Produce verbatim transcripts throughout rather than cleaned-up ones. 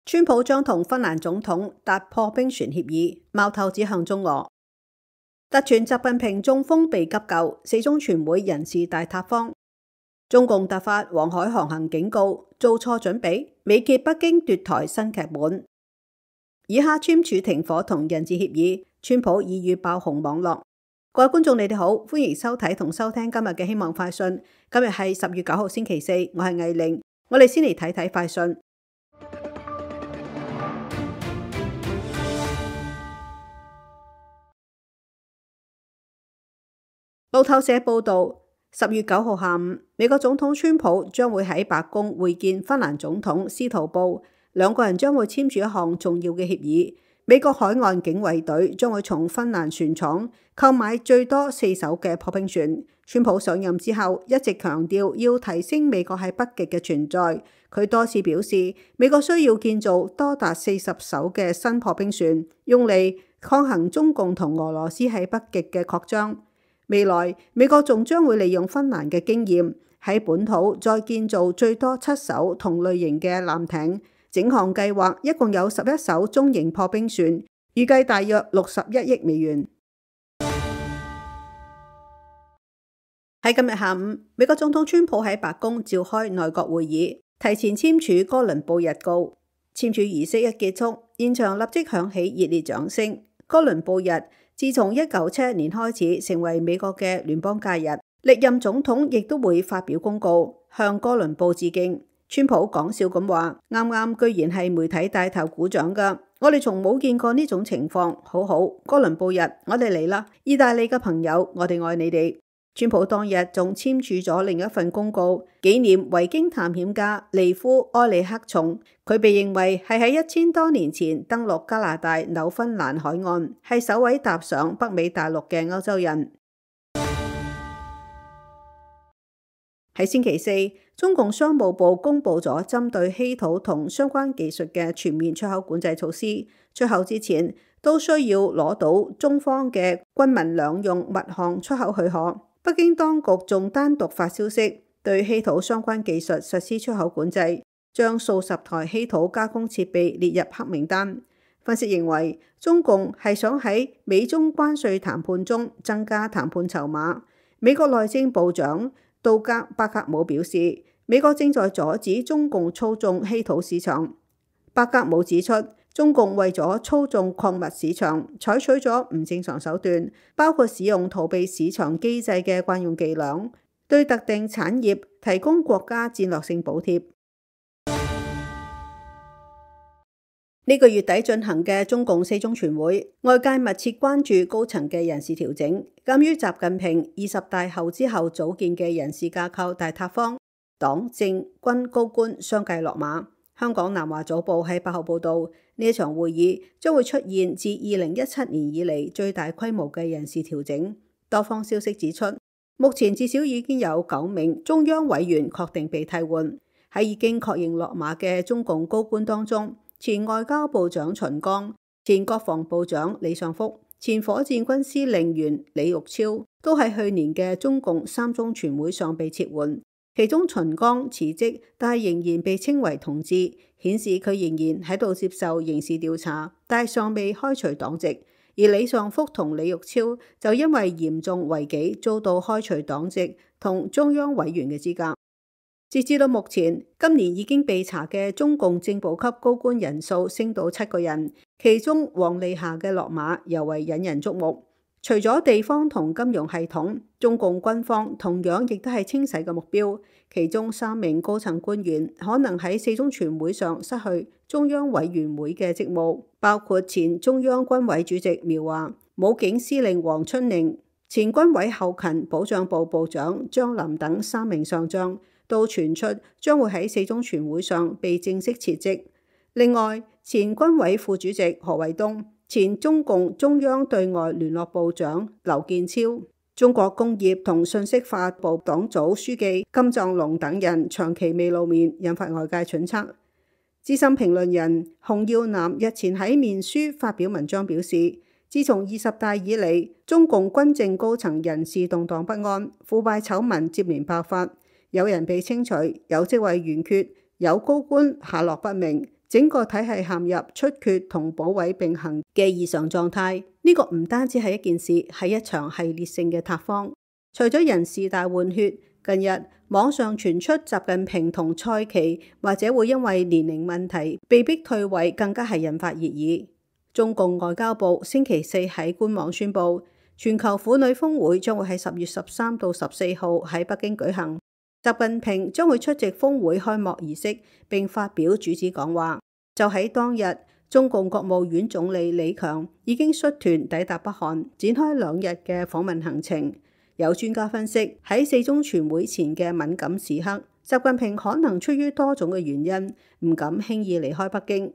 川普將同芬蘭總統達破冰船協議，矛頭指向中俄。突傳習近平中風被急救，四中全會人事大塌方。中共突發黃海航行警告，做錯準備，美揭北京奪台新劇本。以哈簽署停火同人質協議，川普已遇爆紅網絡。各位觀眾，你哋好，歡迎收睇同收聽今日嘅希望快訊。今日係十月九號星期四，我係藝玲。我哋先嚟睇睇快訊。路透社報道，十月九號下午，美國總統川普將會喺白宮會見芬蘭總統司徒布，兩個人將會簽署一項重要嘅協議。美國海岸警衛隊將會從芬蘭船廠購買最多四艘嘅破冰船。川普上任之後一直強調要提升美國喺北極嘅存在，佢多次表示美國需要建造多達四十艘嘅新破冰船，用嚟抗衡中共同俄羅斯喺北極嘅擴張。未來美國仲將會利用芬蘭嘅經驗，喺本土再建造最多七艘同類型嘅艦艇。整項計劃一共有十一艘中型破冰船，預計大約六十一億美元。喺今日下午，美國總統川普喺白宮召開內閣會議，提前簽署哥倫布日告。簽署儀式一結束，現場立即響起熱烈掌聲。哥倫布日自從一九七一年開始成為美國嘅聯邦假日，歷任總統亦都會發表公告向哥倫布致敬。川普講笑咁話：啱啱居然係媒體帶頭鼓掌㗎，我哋從冇見過呢種情況，好好，哥倫布日我哋嚟啦！意大利嘅朋友，我哋愛你哋。川普當日仲簽署咗另一份公告，紀念維京探險家利夫埃里克松。佢被認為係喺一千多年前登陸加拿大紐芬蘭海岸，係首位踏上北美大陸嘅歐洲人。喺星期四，中共商務部公布咗針對稀土同相關技術嘅全面出口管制措施，出口之前都需要攞到中方嘅軍民兩用物項出口許可。北京當局仲單獨發消息，對稀土相關技術實施出口管制，將數十台稀土加工設備列入黑名單。分析認為，中共係想喺美中關稅談判中增加談判籌碼。美國內政部長杜格巴格姆表示，美國正在阻止中共操縱稀土市場。巴格姆指出，中共為咗操縱礦物市場，採取咗唔正常手段，包括使用逃避市場機制嘅慣用伎倆，對特定產業提供國家戰略性補貼。呢個月底進行嘅中共四中全會，外界密切關注高層嘅人事調整。鑒於習近平二十大後之後組建嘅人事架構大塌方，黨政軍高官相繼落馬。香港南華早報喺八號報道，呢一場會議將會出現自二零一七年以嚟最大規模嘅人事調整。多方消息指出，目前至少已經有九名中央委員確定被替換。喺已經確認落馬嘅中共高官當中，前外交部長秦剛、前國防部長李尚福、前火箭軍司令員李玉超都喺去年嘅中共三中全會上被撤換。其中秦剛辭職，但係仍然被稱為同志，顯示佢仍然喺度接受刑事調查，但係尚未開除黨籍。而李尚福同李玉超就因為嚴重違紀，遭到開除黨籍同中央委員嘅資格。截至到目前，今年已經被查嘅中共正部級高官人數升到七個人，其中王利霞嘅落馬尤為引人矚目。除咗地方同金融系統，中共軍方同樣亦都係清洗嘅目標。其中三名高層官員可能喺四中全會上失去中央委員會嘅職務，包括前中央軍委主席苗華、武警司令黃春寧、前軍委後勤保障部部長張林等三名上將，都傳出將會喺四中全會上被正式撤職。另外，前軍委副主席何衛東、前中共中央對外聯絡部長劉建超、中國工業同信息化部黨組書記金藏龍等人長期未露面，引發外界揣測。資深評論人洪耀南日前喺面書發表文章表示，自從二十大以嚟，中共軍政高層人事動盪不安，腐敗醜聞接連爆發，有人被清除，有職位懸缺，有高官下落不明，整個體系陷入出缺同補位並行嘅異常狀態。呢、這個唔單止係一件事，係一場系列性嘅塌方。除咗人事大換血，近日網上傳出習近平同蔡奇或者會因為年齡問題被逼退位，更加係引發熱議。中共外交部星期四喺官網宣布，全球婦女峰會將會喺十月十三到十四號喺北京舉行。習近平將會出席峰會開幕儀式並發表主旨講話。就喺當日，中共國務院總理李強已經率團抵達北韓，展開兩日嘅訪問行程。有專家分析，喺四中全會前嘅敏感時刻，習近平可能出於多種嘅原因，唔敢輕易離開北京。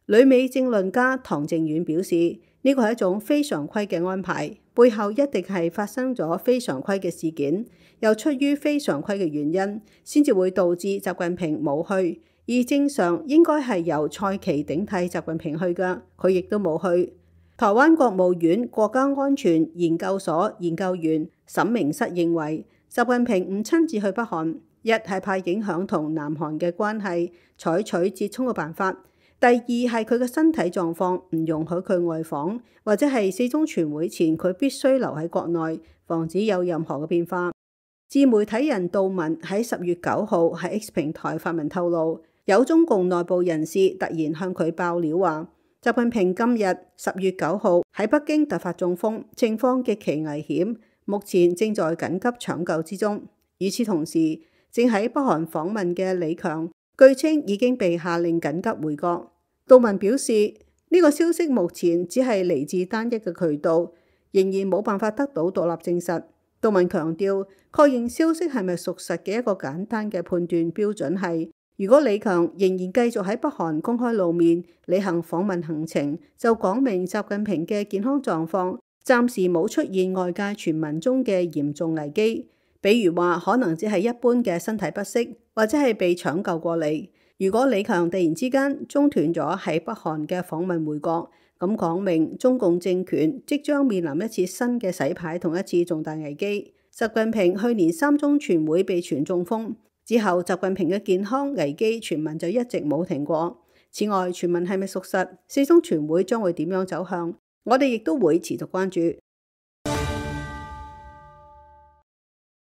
旅美政論家唐正遠表示，呢個係一種非常規嘅安排，背後一定係發生咗非常規嘅事件，又出於非常規嘅原因，先至會導致習近平冇去。而正常應該係由蔡奇頂替習近平去㗎，佢亦都冇去。台灣國務院國家安全研究所研究員沈明室認為，習近平唔親自去北韓，一係怕影響同南韓嘅關係，採取折衷嘅辦法；第二係佢嘅身體狀況唔容許佢外訪，或者係四中全會前佢必須留喺國內，防止有任何嘅變化。自媒體人杜文喺十月九號喺 X 平台發文透露，有中共內部人士突然向佢爆料話，習近平今日十月九號喺北京突發中風，情況極其危險，目前正在緊急搶救之中。與此同時，正喺北韓訪問嘅李強，據稱已經被下令緊急回國。杜文表示，呢、這個消息目前只係嚟自單一嘅渠道，仍然冇辦法得到獨立證實。杜文強調，確認消息係咪屬實嘅一個簡單嘅判斷標準係，如果李強仍然繼續喺北韓公開露面，履行訪問行程，就講明習近平嘅健康狀況暫時冇出現外界傳聞中嘅嚴重危機，比如話可能只係一般嘅身體不適，或者係被搶救過嚟。如果李強突然之間中斷咗喺北韓嘅訪問回國，咁講明中共政權即將面臨一次新嘅洗牌同一次重大危機。習近平去年三中全會被傳中風之後，習近平嘅健康危機傳聞就一直冇停過。此外，傳聞係咪屬實？四中全會將會點樣走向？我哋亦都會持續關注。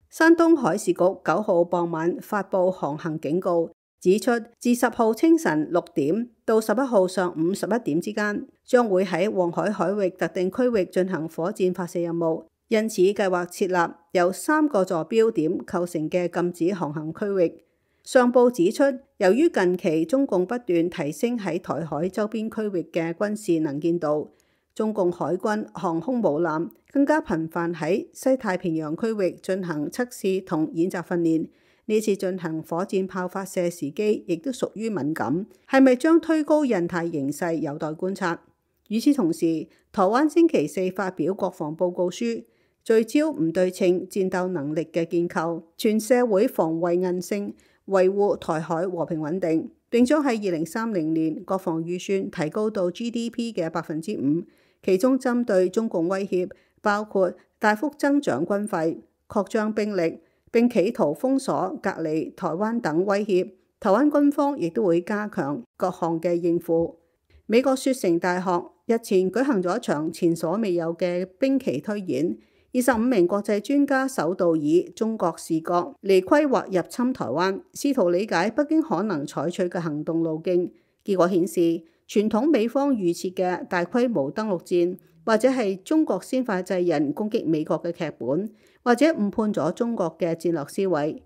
山東海事局九號傍晚發布航行警告，指出自十號清晨六點到十一號上午十一點之間，將會喺黃海海域特定區域進行火箭發射任務。因此，計劃設立由三個座標點構成嘅禁止航行區域。上報指出，由於近期中共不斷提升喺台海周邊區域嘅軍事能見度，中共海軍航空母艦更加頻繁喺西太平洋區域進行測試同演習訓練。呢次進行火箭炮發射時機亦都屬於敏感，係咪將推高印太形勢有待觀察。與此同時，台灣星期四發表國防報告書，聚焦唔對稱戰鬥能力嘅建構，全社會防衛韌性，維護台海和平穩定，並將喺二零三零年國防預算提高到 G D P 嘅百分之五，其中針對中共威脅，包括大幅增長軍費、擴張兵力，並企圖封鎖、隔離台灣等威脅。台灣軍方亦都會加強各項嘅應付。美國雪城大學日前舉行咗一場前所未有嘅兵棋推演。二十五名國際專家首度以中國視角嚟規劃入侵台灣，試圖理解北京可能採取嘅行動路徑。結果顯示，傳統美方預設嘅大規模登陸戰，或者係中國先發制人攻擊美國嘅劇本，或者誤判咗中國嘅戰略思維。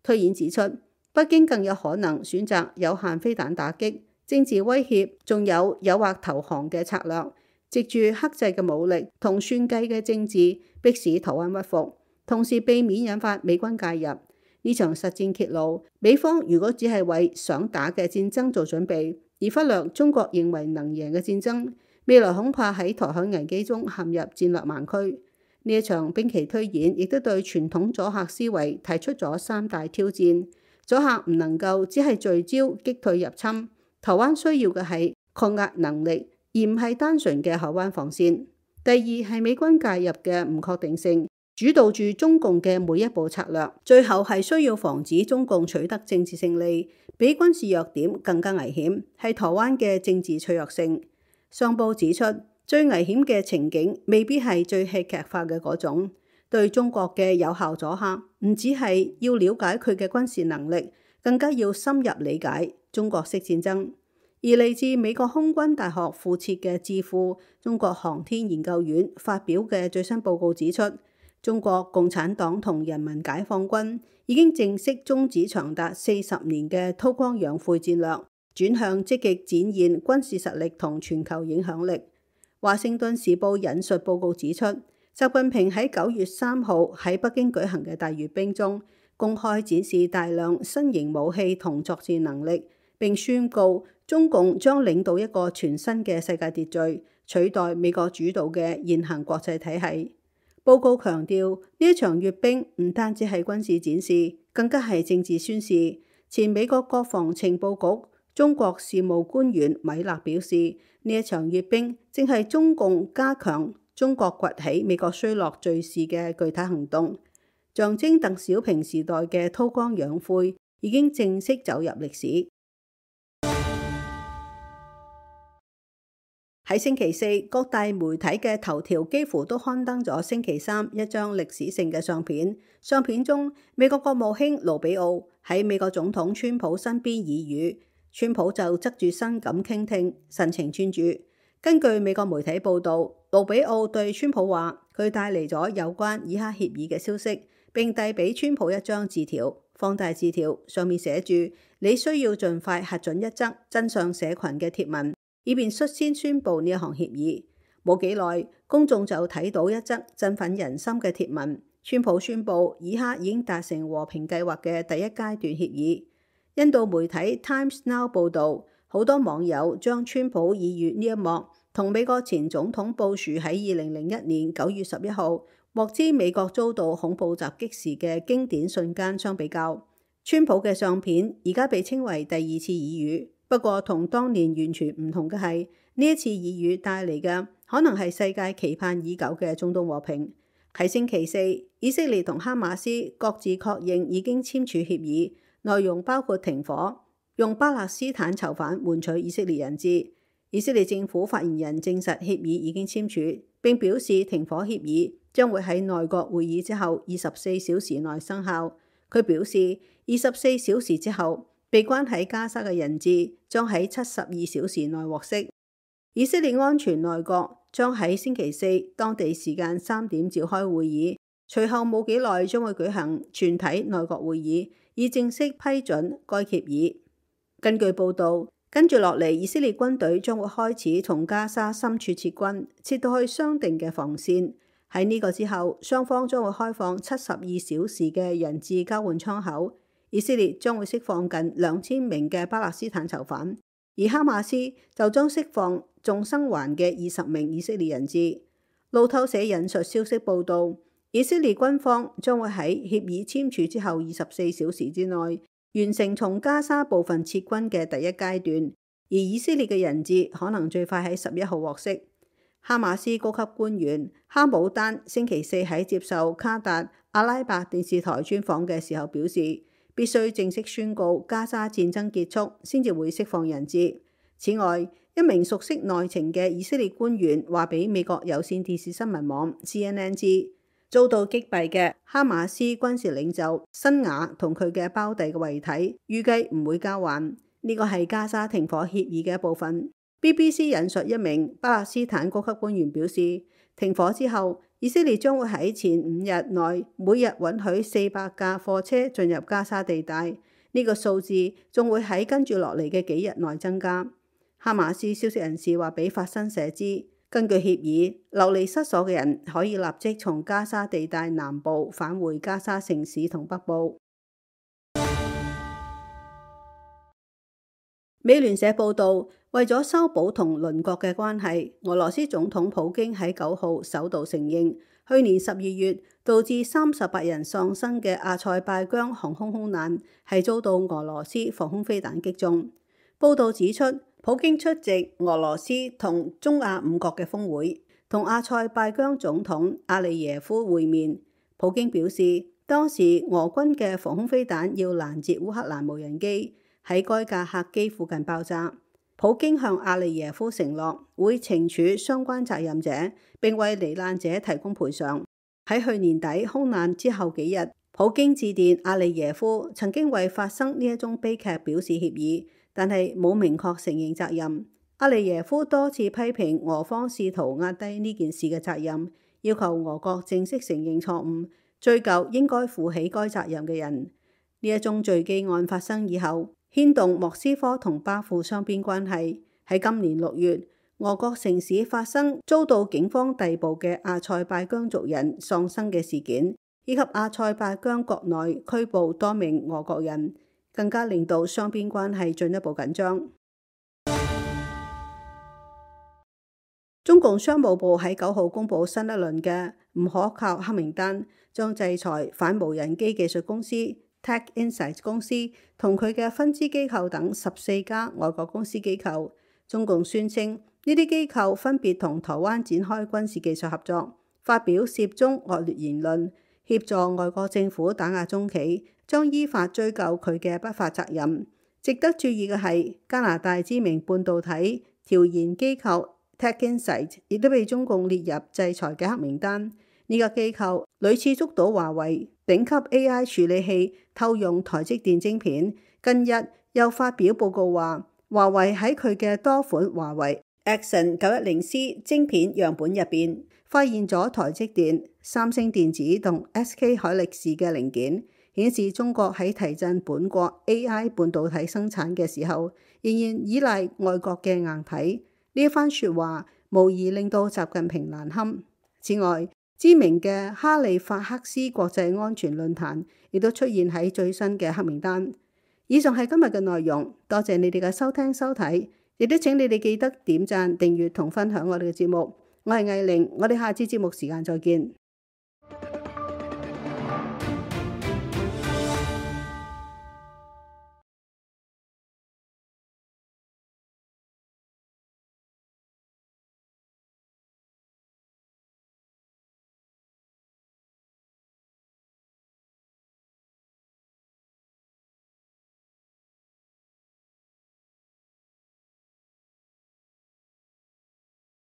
推演指出，北京更有可能選擇有限飛彈打擊、政治威脅，仲有誘惑投降嘅策略。藉住克制嘅武力同算計嘅政治，迫使台灣屈服，同時避免引發美軍介入。呢場實戰揭露，美方如果只係為想打嘅戰爭做準備，而忽略中國認為能贏嘅戰爭，未來恐怕喺台海危機中陷入戰略盲區。呢一場兵棋推演亦都對傳統阻嚇思維提出咗三大挑戰。阻嚇唔能夠只係聚焦擊退入侵，台灣需要嘅係抗壓能力，而唔係單純嘅海灣防線。第二係美軍介入嘅唔確定性，主導住中共嘅每一步策略，最後係需要防止中共取得政治勝利，比軍事弱點更加危險，係台灣嘅政治脆弱性。上報指出，最危險嘅情景未必係最戲劇化嘅嗰種，對中國嘅有效阻嚇，唔只係要了解佢嘅軍事能力，更加要深入理解中國式戰爭。而嚟自美國空軍大學附設嘅智庫中國航天研究院發表嘅最新報告指出，中國共產黨同人民解放軍已經正式終止長達四十年嘅韜光養晦戰略，轉向積極展現軍事實力同全球影響力。華盛頓時報引述報告指出，習近平喺九月三號喺北京舉行嘅大閱兵中，公開展示大量新型武器同作戰能力，並宣告中共將領導一個全新嘅世界秩序，取代美國主導嘅現行國際體系。報告強調，呢一場閱兵唔單止係軍事展示，更加係政治宣示。前美國國防情報局中國事務官員米勒表示，呢一場閱兵正係中共加強中國崛起、美國衰落敘事嘅具體行動，象徵鄧小平時代嘅韜光養晦已經正式走入歷史。喺星期四，各大媒體嘅頭條幾乎都刊登咗星期三一張歷史性嘅相片。相片中，美國國務卿盧比奧喺美國總統川普身邊耳語，川普就側住身咁傾聽，神情專注。根據美國媒體報道，盧比奧對川普話，佢帶嚟咗有關以哈協議嘅消息，並遞俾川普一張字條，放大字條，上面寫住你需要盡快核准一則真相社群嘅貼文，以便率先宣布呢一項協議。冇幾耐，公眾就睇到一則振奮人心嘅貼文，川普宣布以哈已經達成和平計劃嘅第一階段協議。印度媒體 Times Now 報導，好多網友將川普耳語呢一幕同美國前總統布殊喺二零零一年九月十一號獲知美國遭到恐怖襲擊時嘅經典瞬間相比較。川普嘅相片而家被稱為第二次耳語。不過同當年完全唔同嘅係，呢一次耳語帶嚟嘅可能係世界期盼已久嘅中東和平。喺星期四，以色列同哈馬斯各自確認已經簽署協議，內容包括停火，用巴勒斯坦囚犯換取以色列人質。以色列政府發言人證實協議已經簽署，並表示停火協議將會喺內閣會議之後二十四小時內生效。佢表示，二十四小時之後，被關喺加沙嘅人質將喺七十二小時內獲釋。以色列安全內閣將喺星期四當地時間三點召開會議，隨後冇幾耐將會舉行全體內閣會議，以正式批准該協議。根據報導，跟住落嚟，以色列軍隊將會開始從加沙深處撤軍，撤到去商定嘅防線。喺呢個之後，雙方將會開放七十二小時嘅人質交換窗口。以色列將會釋放近兩千名嘅巴勒斯坦囚犯，而哈馬斯就將釋放仲生還嘅二十名以色列人質。路透社引述消息報道，以色列軍方將會喺協議簽署之後二十四小時之內完成從加沙部分撤軍嘅第一階段，而以色列嘅人質可能最快喺十一號獲釋。哈馬斯高級官員哈姆丹星期四喺接受卡達阿拉伯電視台專訪嘅時候表示，必須正式宣告加沙戰爭結束，先至會釋放人質。此外，一名熟悉內情嘅以色列官員話俾美國有線電視新聞網 C N N 知，遭到擊斃嘅哈馬斯軍事領袖辛瓦同佢嘅胞弟嘅遺體，預計唔會交還。呢個係加沙停火協議嘅一部分。B B C 引述一名巴勒斯坦高級官員表示，停火之後，以色列將會喺前五日內每日允許四百架貨車進入加沙地帶，呢個數字仲會喺跟住落嚟嘅幾日內增加。哈馬斯消息人士話俾法新社知，根據協議，流離失所嘅人可以立即從加沙地帶南部返回加沙城市同北部。美聯社報導，為咗修補同鄰國嘅關係，俄羅斯總統普京喺九號首度承認，去年十二月導致三十八人喪生嘅阿塞拜疆航空空難係遭到俄羅斯防空飛彈擊中。報導指出，普京出席俄羅斯同中亞五國嘅峰會，同阿塞拜疆總統阿利耶夫會面。普京表示，當時俄軍嘅防空飛彈要攔截烏克蘭無人機喺該架客機附近爆炸。普京向阿利耶夫承諾會懲處相關責任者，並為罹難者提供賠償。喺去年底空難之後幾日，普京致電阿利耶夫，曾經為發生呢一宗悲劇表示歉意，但係冇明確承認責任。阿利耶夫多次批評俄方試圖壓低呢件事嘅責任，要求俄國正式承認錯誤，追究應該負起該責任嘅人。呢一宗墜機案發生以後，牽動莫斯科同巴庫雙邊關係。喺今年六月，俄國城市發生遭到警方逮捕嘅阿塞拜疆族人喪生嘅事件，以及阿塞拜疆國內拘捕多名俄國人，更加令到雙邊關係進一步緊張。中共商務部喺九號公布新一輪嘅唔可靠黑名單，將制裁反無人機技術公司 TechInsights 公司同佢嘅分支機構等十四家外國公司機構。中共宣稱呢啲機構分別同台灣展開軍事技術合作，發表涉中惡劣言論，協助外國政府打壓中企，將依法追究佢嘅不法責任。值得注意嘅係，加拿大知名半導體調研機構 TechInsights 亦都被中共列入制裁嘅黑名單。呢個機構屢次捉到華為頂級 A I 處理器偷用台積電晶片，近日又發表報告話，華為喺佢嘅多款華為 Axon 九一零 C 晶片樣本入邊，發現咗台積電、三星電子同 S K 海力士嘅零件，顯示中國喺提振本國 A I 半導體生產嘅時候，仍然依賴外國嘅硬體。呢一番説話無疑令到習近平難堪。此外，知名嘅哈利法克斯國際安全論壇亦都出現喺最新嘅黑名單。以上係今日嘅內容，多謝你哋嘅收聽收睇，亦都請你哋記得點讚、訂閱同分享我哋嘅節目。我係藝玲，我哋下次節目時間再見。